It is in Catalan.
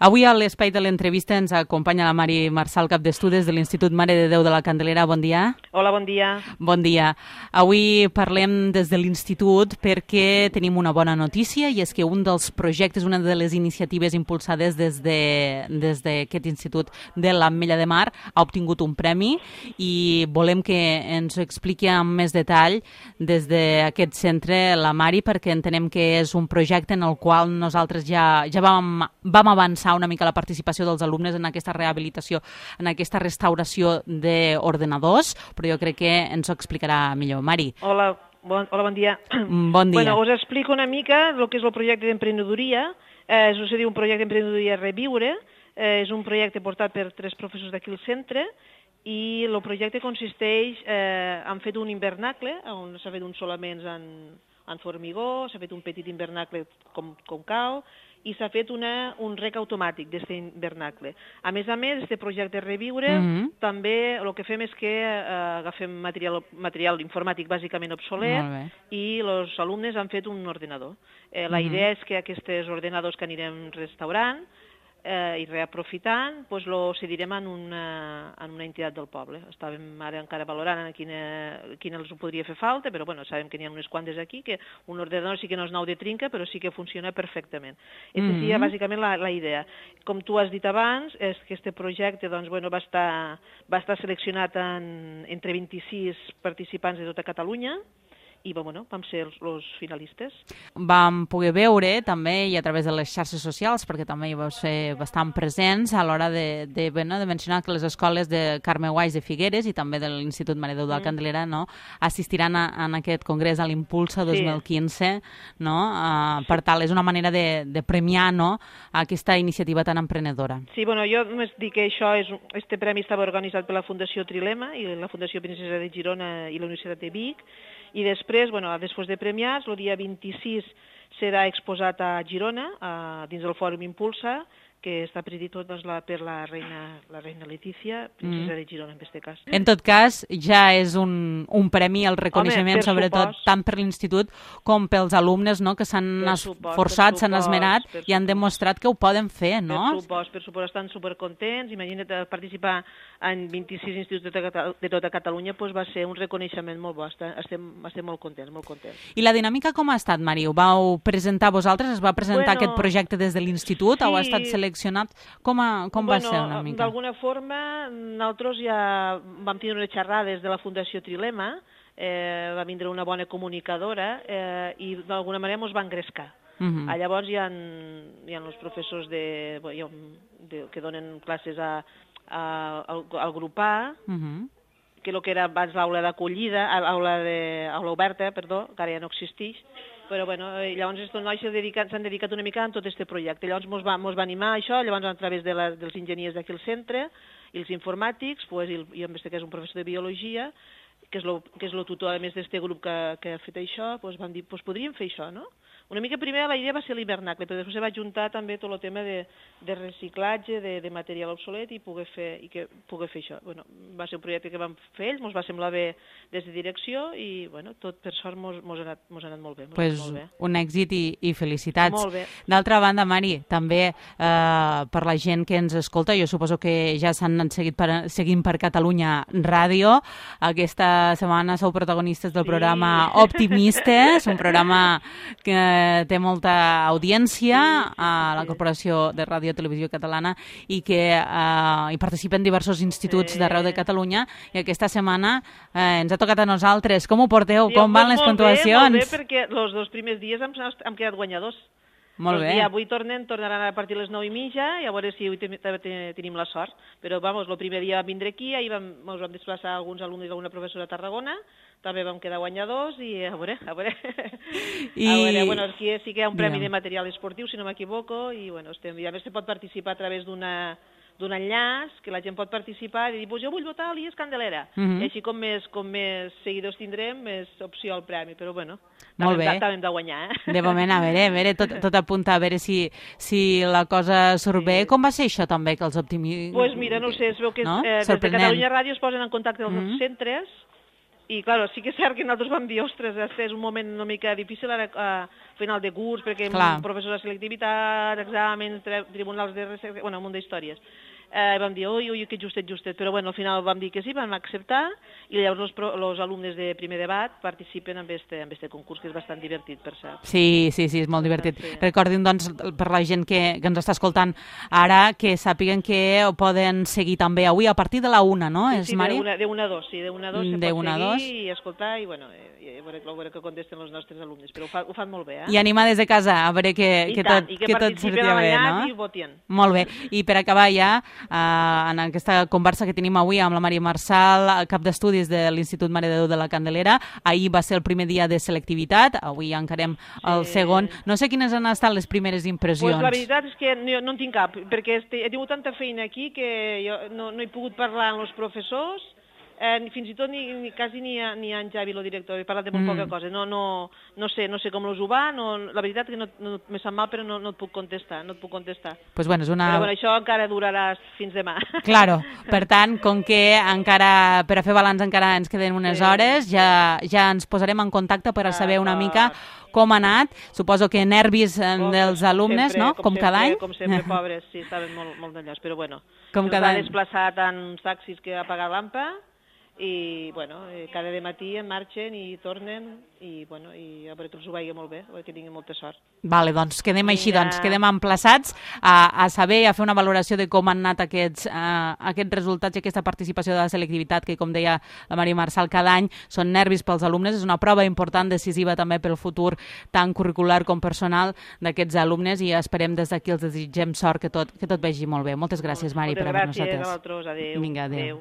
Avui a l'espai de l'entrevista ens acompanya la Mari Marçal, cap d'estudis de l'Institut Mare de Déu de la Candelera. Bon dia. Hola, bon dia. Bon dia. Avui parlem des de l'Institut perquè tenim una bona notícia, i és que un dels projectes, una de les iniciatives impulsades des d'aquest Institut de l'Ametlla de Mar ha obtingut un premi, i volem que ens ho expliqui amb més detall des d'aquest centre la Mari, perquè entenem que és un projecte en el qual nosaltres ja vam avançar una mica la participació dels alumnes en aquesta rehabilitació, en aquesta restauració d'ordenadors, però jo crec que ens ho explicarà millor. Mari. Hola, bon dia. Bon dia. Bueno, us explico una mica el que és el projecte d'emprenedoria. Això se diu un projecte d'emprenedoria Reviure. És un projecte portat per 3 professors d'aquí al centre, i el projecte consisteix, han fet un invernacle, on s'ha fet uns solaments en formigó, s'ha fet un petit invernacle com cal, i s'ha fet un rec automàtic d'aquest invernacle. A més, aquest projecte Reviure, també el que fem és que agafem material informàtic bàsicament obsolet, i els alumnes han fet un ordenador. La idea és que aquests ordenadors que anirem restaurant i reaprofitant, lo cedirem en una entitat del poble. Estàvem ara encara valorant a quina els ho podria fer falta, però sabem que n'hi ha unes quantes aquí, que un ordenador sí que no és nou de trinca, però sí que funciona perfectament. Aquesta seria bàsicament la idea. Com tu has dit abans, és que aquest projecte va estar seleccionat entre 26 participants de tota Catalunya, i vam ser els finalistes. Vam poder veure també, i a través de les xarxes socials, perquè també hi vau ser bastant presents a l'hora de mencionar que les escoles de Carme Guaix de Figueres i també de l'Institut Mare de Déu de la Candelera assistiran a aquest congrés, a l'Impulsa 2015. Per tal, és una manera de premiar aquesta iniciativa tan emprenedora. Sí, jo només dic que aquest premi estava organitzat per la Fundació Trilema i la Fundació Princesa de Girona i la Universitat de Vic, i després de premiats, el dia 26 serà exposat a Girona, dins del Fòrum Impulsa, que està presidit tot per la reina Letícia, princesa de Girona, en aquest cas. En tot cas, ja és un premi, el reconeixement, sobretot, tant per l'Institut com pels alumnes que s'han esforçat, s'han esmerat i han demostrat que ho poden fer, no? Per supost, estan supercontents. Imagina't participar en 26 instituts de tota Catalunya, va ser un reconeixement molt bo. Estem molt contents, molt contents. I la dinàmica com ha estat, Mari? Ho vau presentar vosaltres? Es va presentar aquest projecte des de l'Institut? O ha estat seleccionat? Com va ser una mica? D'alguna forma, nosaltres ja vam tenir unes xerrades de la Fundació Trilema, va vindre una bona comunicadora i d'alguna manera ens va engrescar. Llavors hi ha els professors que donen classes al grup A, que el que era abans l'aula d'acollida, l'aula oberta, perdó, que ara ja no existeix, però llavors aquests nois s'han dedicat una mica a tot aquest projecte. Llavors ens va animar això, llavors a través dels enginyers d'aquí al centre i els informàtics, i en aquest cas un professor de biologia, que és el tutor, a més d'aquest grup que ha fet això, vam dir, podríem fer això, no? Una mica primer la idea va ser l'hivernacle, però després se va juntar també tot el tema de reciclatge, de material obsolet, i poder fer això. Va ser un projecte que vam fer ells, ens va semblar bé des de direcció, i tot per sort ens ha anat molt bé. Un èxit i felicitats. Molt bé. D'altra banda, Mari, també per la gent que ens escolta, jo suposo que ja s'han anat seguint per Catalunya Ràdio. Aquesta setmana sou protagonistes del programa Optimistes, un programa que té molta audiència a la Corporació de Ràdio i Televisió Catalana, i que hi participen diversos instituts d'arreu de Catalunya, i aquesta setmana ens ha tocat a nosaltres. Com ho porteu? Com van les puntuacions? Molt bé, perquè els 2 primers dies hem quedat guanyadors. Molt bé. Avui tornaran a partir de les 9:30, i a veure si avui tenim la sort. Però, el primer dia vam vindre aquí, ahir ens vam desplaçar alguns alumnes i alguna professora a Tarragona, també vam quedar guanyadors, i a veure. Aquí sí que hi ha un premi de material esportiu, si no m'equivoco, i a més se pot participar a través d'un enllaç, que la gent pot participar i dir, jo vull votar a l'IES Candelera. I així com més seguidors tindrem, més opció al premi, però també hem de guanyar. De moment, a veure, tot apunta a veure si la cosa surt bé. Com va ser això també, que els optimistes... Doncs mira, no sé, es veu que des de Catalunya Ràdio es posen en contacte amb els centres, I, clar, sí que és cert que nosaltres vam dir, ostres, és un moment una mica difícil ara a final de curs, perquè professors de selectivitat, exàmens, tribunals de recerca, bueno, un munt d'històries. Vam dir, ui, que justet, però bueno, al final vam dir que sí, vam acceptar, i llavors els alumnes de primer debat participen en este concurs, que és bastant divertit, per cert. Sí, és molt divertit. Sí. Recordin, doncs, per la gent que ens està escoltant ara, que sàpiguen que ho poden seguir també avui a partir de la 1, no? Sí, de 1 a 2, sí, de 1 a 2 se pot seguir i escoltar, i bueno, a veure què contesten els nostres alumnes, però ho fan molt bé, I animar des de casa, a veure que tot sortia bé, no? I votin. Molt bé, i per acabar ja, en aquesta conversa que tenim avui amb la Maria Marçal, cap d'estudis de l'Institut Mare de Déu de la Candelera. Ahir va ser el primer dia de selectivitat, avui encarem el segon. No sé quines han estat les primeres impressions. Pues la veritat és que no en tinc cap, perquè he tingut tanta feina aquí que jo no he pogut parlar amb els professors, fins i tot quasi ni en Javi, el director, he parlat de molt poca cosa. No sé com els ho va, la veritat que no me sap mal, però no et puc contestar, Pues bueno, Però bueno, això encara durarà fins demà. Claro, per tant, com que encara, per a fer balanç encara ens queden unes hores, ja ens posarem en contacte per a saber una mica com ha anat. Suposo que nervis dels alumnes, no? Com cada any. Com sempre, pobres, sí, estaven molt d'allòs, però bueno. Com cada any. S'ha desplaçat en taxis que ha pagat l'AMPA, i bueno, cada matí en marxen i tornen, i bueno, i a veure que els ho vagi molt bé, a veure que tinguin molta sort. Vale, doncs quedem així, quedem emplaçats a saber, a fer una valoració de com han anat aquests resultats i aquesta participació de la selectivitat, que com deia la Maria Marçal, cada any són nervis pels alumnes, és una prova important, decisiva també pel futur tant curricular com personal d'aquests alumnes, i esperem des d'aquí els desitgem sort, que tot vagi molt bé. Moltes gràcies, Mari, per haver-nos atès. Moltes gràcies a vosaltres, adéu. Vinga, adéu.